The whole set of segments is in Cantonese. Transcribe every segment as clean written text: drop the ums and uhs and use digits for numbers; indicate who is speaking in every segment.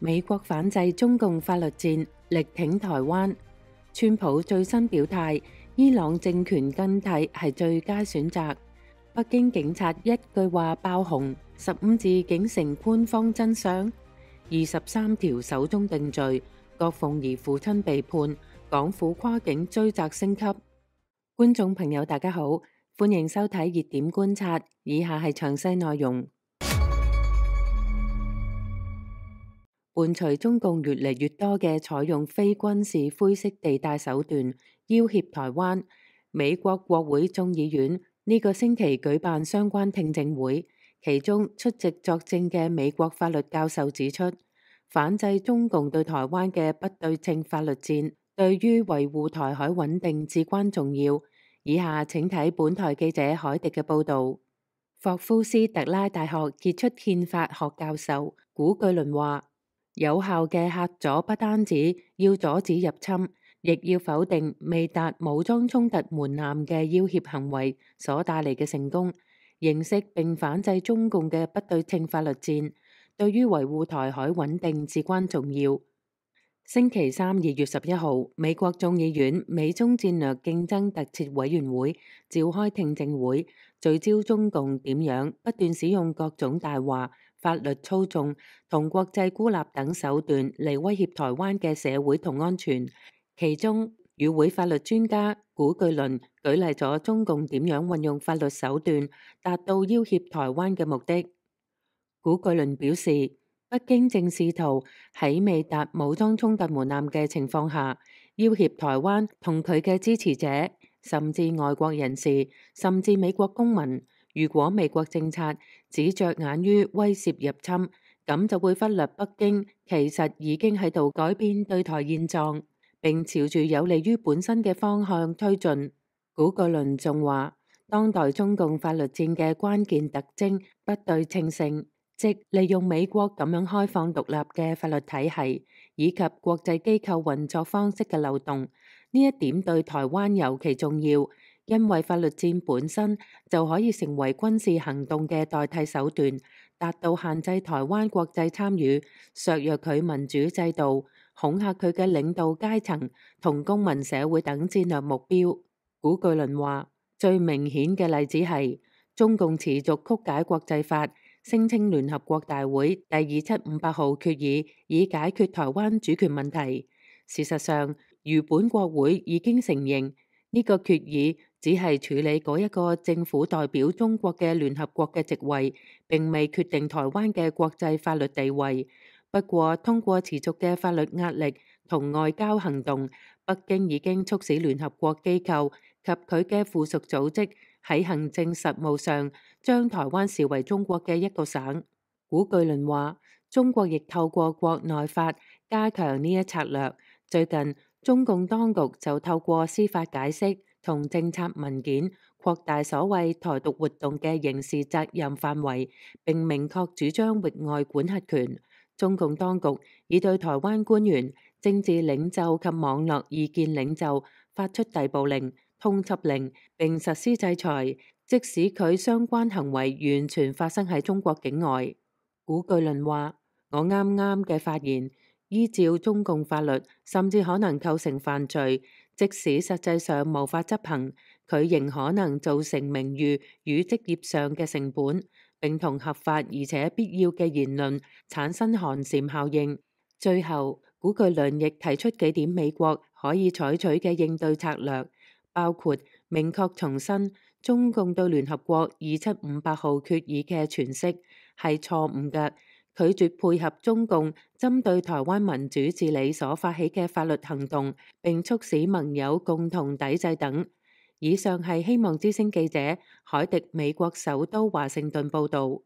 Speaker 1: 美國反制中共法律戰，力挺台灣。川普最新表態，伊朗政權更替係最佳選擇。北京警察一句話爆紅，15字竟成官方真相。23條首宗定罪，郭鳳儀父親被判，港府跨境追責升級。觀眾朋友大家好，歡迎收睇熱點觀察，以下係詳細內容。伴隨中共越嚟越多嘅採用非軍事灰色地帶手段要挾台灣，美國國會眾議院呢個星期舉辦相關聽證會，其中出席作證嘅美國法律教授指出，反制中共對台灣嘅不對稱法律戰，對於維護台海穩定至關重要。以下請睇本台記者海迪嘅報導。霍夫斯特拉大學傑出憲法學教授古巨倫話，有效嘅嚇阻不單止要阻止入侵，亦要否定未達武裝衝突門檻嘅要挾行為所帶嚟嘅成功。認識並反制中共嘅不對稱法律戰，對於維護台海穩定至關重要。星期三2月11號，美國眾議院美中戰略競爭特設委員會召開聽證會，聚焦中共點樣不斷使用各種大話、法律操縱同國際孤立等手段嚟威脅台灣嘅社會同安全。其中，與會法律專家古巨倫舉例咗中共點樣運用法律手段達到要挾台灣嘅目的。古巨倫表示，北京正試圖喺未達武裝衝突門檻嘅情況下，要挾台灣同佢嘅支持者，甚至外國人士，甚至美國公民。如果美國政策只着眼於威懾入侵，咁就會忽略北京其實已經喺度改變對台現狀，並朝住有利於本身嘅方向推進。古巨倫仲話，當代中共法律戰嘅關鍵特徵不對稱性，即利用美國咁樣開放獨立嘅法律體系，以及國際機構運作方式嘅漏洞。呢一點對台灣尤其重要，因為法律戰本身就可以成為軍事行動嘅代替手段，達到限制台灣國際參與、削弱佢民主制度、恐嚇佢嘅領導階層同公民社會等戰略目標。古巨倫話，最明顯嘅例子係中共持續曲解國際法，聲稱聯合國大會第2758號決議以解決台灣主權問題。事實上，如本國會已經承認，呢個決議只係處理嗰一個政府代表中國嘅聯合國嘅席位，並未決定台灣嘅國際法律地位。不過，通過持續嘅法律壓力同外交行動，北京已經促使聯合國機構及佢嘅附屬組織喺行政實務上將台灣視為中國嘅一個省。古巨倫話，中國亦透過國內法加強呢一策略。最近，中共當局就透過司法解釋同政策文件擴大所謂台獨活動嘅刑事責任範圍，並明確主張域外管轄權。中共當局已對台灣官員、政治領袖及網絡意見領袖發出逮捕令、通緝令，並實施制裁，即使佢相關行為完全發生喺中國境外。古巨倫話，我啱啱嘅發言依照中共法律，甚至可能構成犯罪，即使實際上無法執行，佢仍可能造成名譽與職業上嘅成本，並同合法而且必要嘅言論產生寒蟬效應。最後，古巨倫亦提出幾點美國可以採取嘅應對策略，包括明確重申中共對聯合國2758號決議嘅詮釋係錯誤嘅，拒絕配合中共針對台灣民主治理所發起嘅法律行動，並促使盟友共同抵制等。以上係希望之聲記者海迪美國首都華盛頓報導。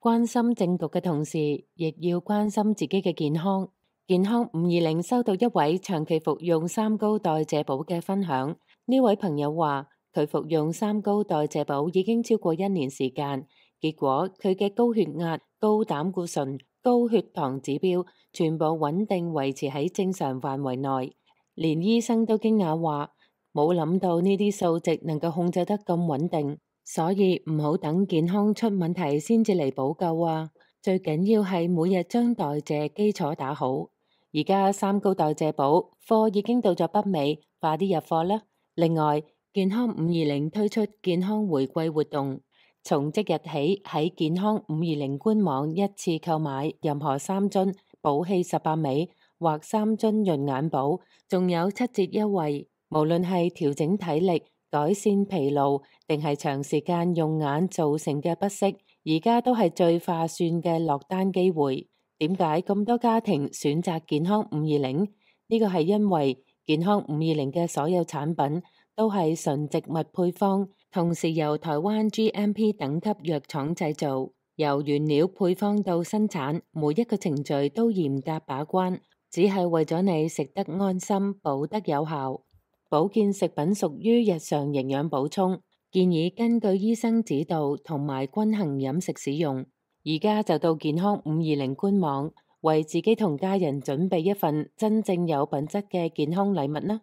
Speaker 1: 關心政局嘅同時，亦要關心自己嘅健康。健康520收到一位長期服用三高代謝寶嘅分享。呢位朋友話，佢服用三高代謝寶已經超過1年時間，結果佢嘅高血壓、高膽固醇、高血糖指標全部穩定維持喺正常範圍內，連醫生都驚訝話，冇諗到呢啲數值能夠控制得咁穩定，所以唔好等健康出問題先至嚟補救啊！最緊要係每日將代謝基礎打好。而家三高代謝寶貨已經到咗北美，快啲入貨啦！另外，健康520推出健康回饋活動，從即日起喺健康520官網一次購買任何3樽寶氣18味或3樽潤眼寶，仲有7折優惠。無論係調整體力、改善疲勞，定係長時間用眼造成嘅不適，而家都係最划算嘅落單機會。點解咁多家庭選擇健康520？呢個係因為健康520嘅所有產品都係純植物配方，同時由台灣 GMP 等級藥廠製造，由原料配方到生產，每一個程序都嚴格把關，只係為咗你食得安心、補得有效。保健食品屬於日常營養補充，建議根據醫生指導同埋均衡飲食使用。而家就到健康520官網，為自己同家人準備一份真正有品質嘅健康禮物啦！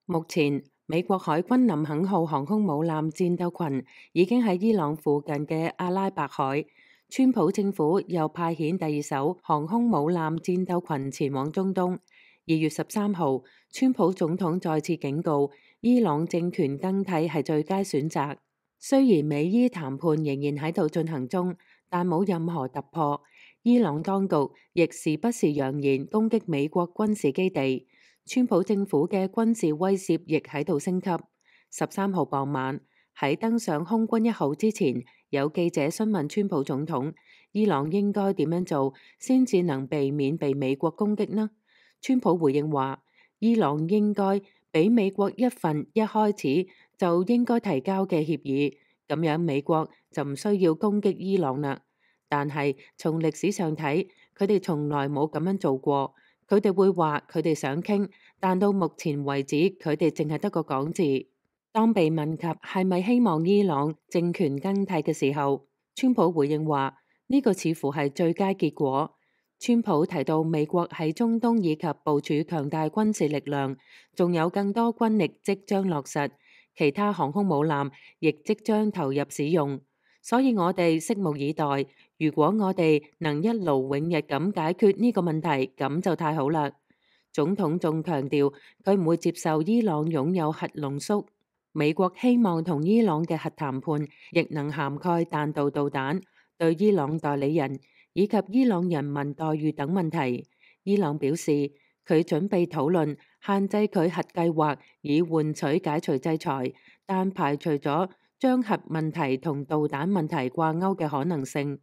Speaker 1: 目前，美國海軍林肯號航空母艦戰鬥群已經喺伊朗附近嘅阿拉伯海，川普政府又派遣第2艘航空母艦戰鬥群前往中東。2月13號，川普總統再次警告，伊朗政權更替係最佳選擇。雖然美伊談判仍然喺度進行中，但冇任何突破。伊朗當局亦時不時揚言攻擊美國軍事基地，川普政府嘅軍事威懾亦喺度升級。13號傍晚，喺登上空軍1號之前，有記者詢問川普總統，伊朗應該點樣做先至能避免被美國攻擊呢？川普回應話，伊朗應該俾美國一份一開始就應該提交嘅協議，咁樣美國就唔需要攻擊伊朗啦。但係從歷史上睇，佢哋從來冇咁樣做過。佢哋會話佢哋想傾，但到目前為止，佢哋淨係得個講字。當被問及係咪希望伊朗政權更替嘅時候，川普回應話呢個似乎係最佳結果。川普提到美國喺中東以及部署強大軍事力量，仲有更多軍力即將落實，其他航空母艦亦即將投入使用，所以我哋拭目以待。如果我哋能一勞永逸咁解決呢個問題，咁就太好啦。總統仲強調佢唔會接受伊朗擁有核濃縮。美國希望同伊朗嘅核談判亦能涵蓋彈道導彈、對伊朗代理人以及伊朗人民待遇等問題。伊朗表示佢準備討論限制佢核計劃，以換取解除制裁，但排除咗將核問題同導彈問題掛鈎嘅可能性。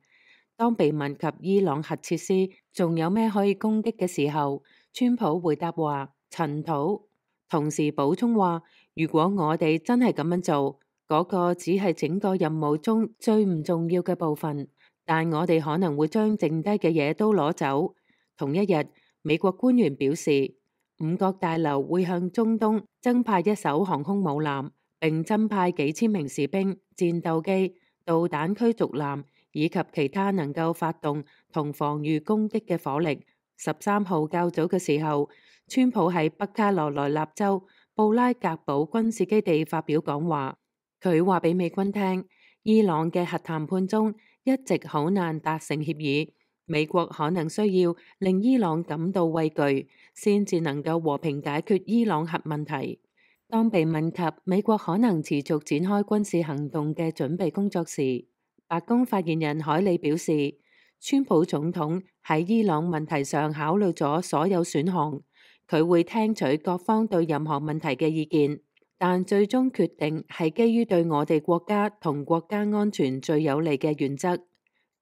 Speaker 1: 當被問及伊朗核設施仲有咩可以攻擊嘅時候，川普回答話塵土，同時補充話，如果我哋真係咁樣做，嗰個只係整個任務中最唔重要嘅部分。但我哋可能會將剩低嘅嘢都攞走。同一日，美國官員表示，五角大樓會向中東增派1艘航空母艦，並增派幾千名士兵、戰鬥機、導彈驅逐艦以及其他能夠發動同防禦攻擊嘅火力。13號較早嘅時候，川普喺北卡羅來納州布拉格堡軍事基地發表講話，佢話俾美軍聽，伊朗嘅核談判中一直好難達成協議，美國可能需要令伊朗感到畏懼，先至能夠和平解決伊朗核問題。當被問及美國可能持續展開軍事行動嘅準備工作時，白宮發言人凱里表示，川普總統喺伊朗問題上考慮咗所有選項，佢會聽取各方對任何問題嘅意見，但最終決定係基於對我哋國家同國家安全最有利嘅原則。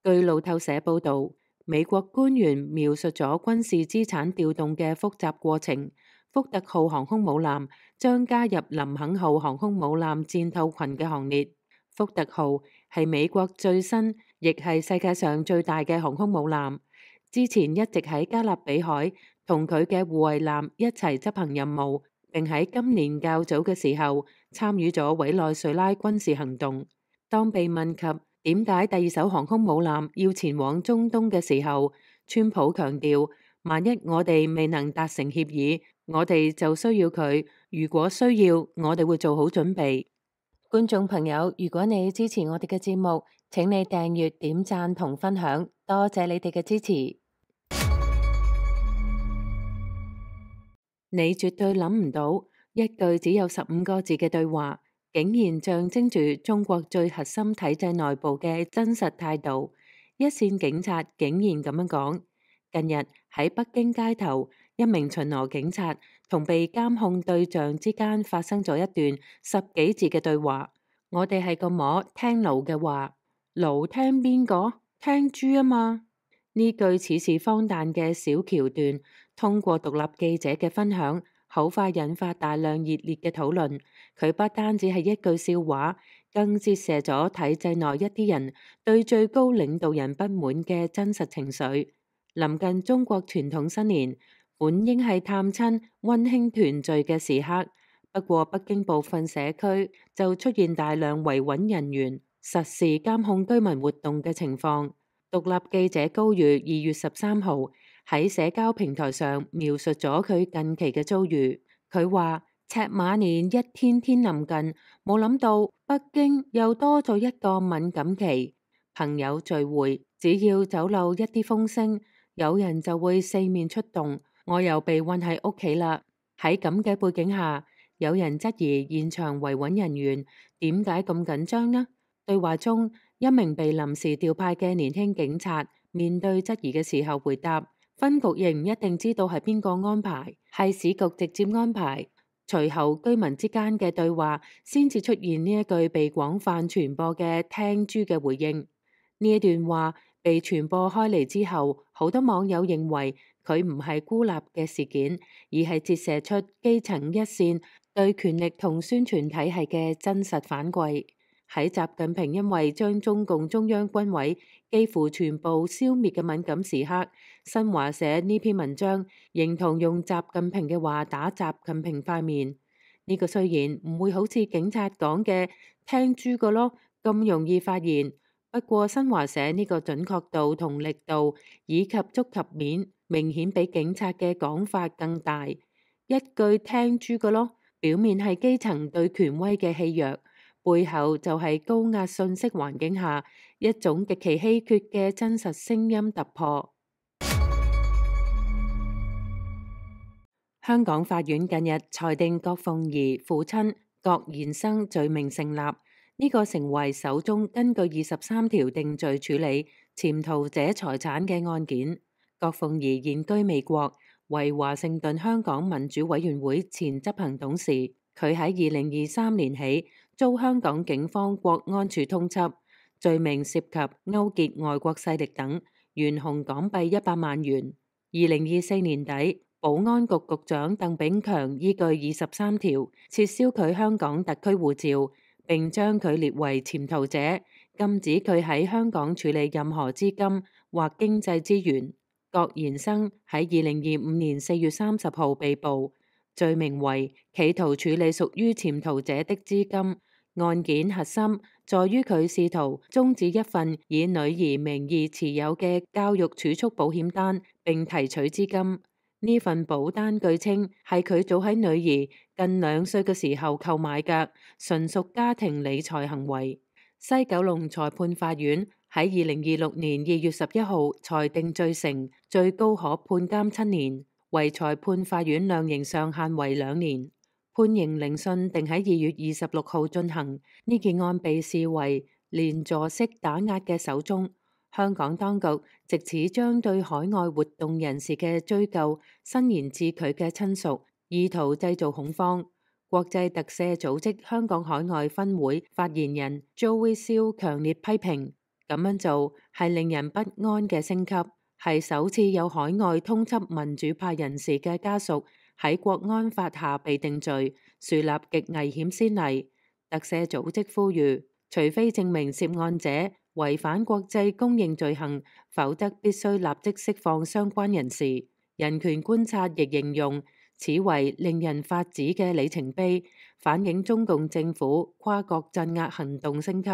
Speaker 1: 據路透社報導，美國官員描述咗軍事資產調動嘅複雜過程。福特號航空母艦將加入林肯號航空母艦戰鬥群嘅行列。福特號係美國最新，亦係世界上最大嘅航空母艦。之前一直喺加勒比海同佢嘅護衛艦一齊執行任務，並喺今年較早嘅時候參與咗委內瑞拉軍事行動。當被問及點解第2艘航空母艦要前往中東嘅時候，川普強調，萬一我哋未能達成協議，我哋就需要佢。如果需要，我哋會做好準備。觀眾朋友，如果你支持我哋嘅節目，請你訂閱、點讚同分享，多謝你哋嘅支持。你絕對諗唔到，一句只有15個字嘅對話，竟然象徵住中國最核心體制內部嘅真實態度。一線警察竟然咁樣講。近日喺北京街頭，一名巡邏警察同被監控對象之間發生咗一段10幾字嘅對話。我哋係個摸聽奴嘅話，奴聽邊個？聽豬啊嘛！呢句似是荒誕嘅小橋段，通過獨立記者嘅分享，好快引發大量熱烈嘅討論。佢不單止係一句笑話，更折射咗體制內一啲人對最高領導人不滿嘅真實情緒。臨近中國傳統新年，本應係探親溫馨團聚嘅時刻，不過北京部分社區就出現大量維穩人員實時監控居民活動嘅情況。獨立記者高宇2月13號喺社交平台上描述咗佢近期嘅遭遇。佢話：赤馬年一天天臨近，冇諗到北京又多咗一個敏感期。朋友聚會，只要走漏一啲風聲，有人就會四面出動，我又被困喺屋企啦。喺咁嘅背景下，有人質疑現場維穩人員點解咁緊張呢？對話中，一名被臨時調派嘅年輕警察面對質疑嘅時候回答：分局亦唔一定知道係邊個安排，係市局直接安排。隨後居民之間嘅對話先至出現呢一句被廣泛傳播嘅聽豬嘅回應。呢一段話被傳播開嚟之後，好多網友認為佢唔係孤立嘅事件，而係折射出基層一線對權力同宣傳體系嘅真實反饋。喺習近平因為將中共中央軍委幾乎全部消滅嘅敏感時刻，新華社呢篇文章認同用習近平嘅話打習近平塊面。呢個雖然唔會好似警察講嘅聽豬個咯咁容易發現，不過新華社呢個準確度同力度以及觸及面明顯比警察嘅講法更大。一句聽豬個咯，表面係基層對權威嘅欺弱，背後就係高壓信息環境下一種極其稀缺嘅真實聲音突破。香港法院近日裁定郭鳳儀父親郭延生罪名成立，呢個成為首宗根據23條定罪處理潛逃者財產嘅案件。郭鳳儀現居美國，為華盛頓香港民主委員會前執行董事。佢喺2023年起遭香港警方國安處通緝，罪名涉及勾結外國勢力等，懸紅港幣100萬元。2024年底，保安局局長鄧炳強依據23條撤銷佢香港特區護照，並將佢列為潛逃者，禁止佢喺香港處理任何資金或經濟資源。郭延生喺2025年4月30號被捕，罪名為企圖處理屬於潛逃者的資金。案件核心在於佢試圖終止一份以女兒名義持有嘅教育儲蓄保險單，並提取資金。呢份保單據稱係佢早喺女兒近2歲嘅時候購買嘅，純屬家庭理財行為。西九龍裁判法院喺2026年2月11號裁定罪成，最高可判監7年，為裁判法院量刑上限為2年。判刑聆訊定喺2月26號進行。呢件案被視為連坐式打壓嘅首宗。香港當局藉此將對海外活動人士嘅追究伸延至佢嘅親屬，意圖製造恐慌。國際特赦組織香港海外分會發言人 Joey Seal 強烈批評，咁樣做係令人不安嘅升級，係首次有海外通緝民主派人士嘅家屬喺國安法下被定罪，樹立極危險先例。特赦組織呼籲，除非證明涉案者違反國際公認罪行，否則必須立即釋放相關人士。人權觀察亦形容此為令人發指嘅里程碑，反映中共政府跨國鎮壓行動升級。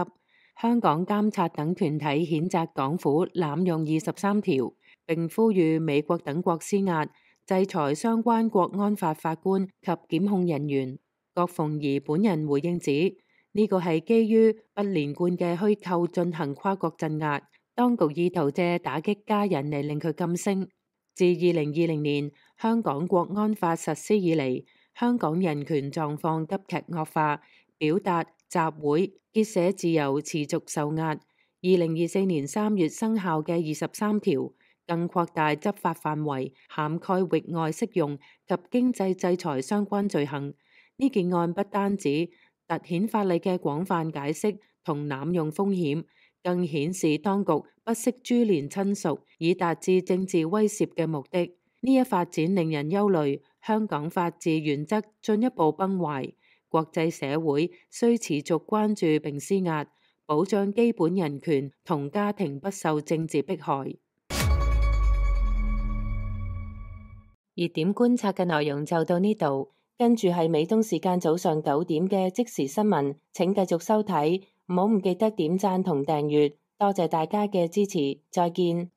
Speaker 1: 香港監察等團體譴責港府濫用23條，並呼籲美國等國施壓，制裁相關國安法法官及檢控人員。郭鳳儀本人回應指，呢個係基於不連貫嘅虛構進行跨國鎮壓，當局意圖借打擊家人嚟令佢噤聲。自2020年香港國安法實施以嚟，香港人權狀況急劇惡化，表達、集會、結社自由持續受壓。2024年3月生效嘅23條，更擴大執法範圍，涵蓋域外適用及經濟制裁相關罪行。呢件案不單止凸顯法例嘅廣泛解釋同濫用風險，更顯示當局不惜株連親屬以達至政治威懾嘅目的。呢一發展令人憂慮，香港法治原則進一步崩壞，國際社會需持續關注並施壓，保障基本人權同家庭不受政治迫害。熱點觀察嘅內容就到呢度，跟住係美東時間早上9點嘅即時新聞，請繼續收睇，唔好唔記得點讚同訂閱，多謝大家嘅支持，再見。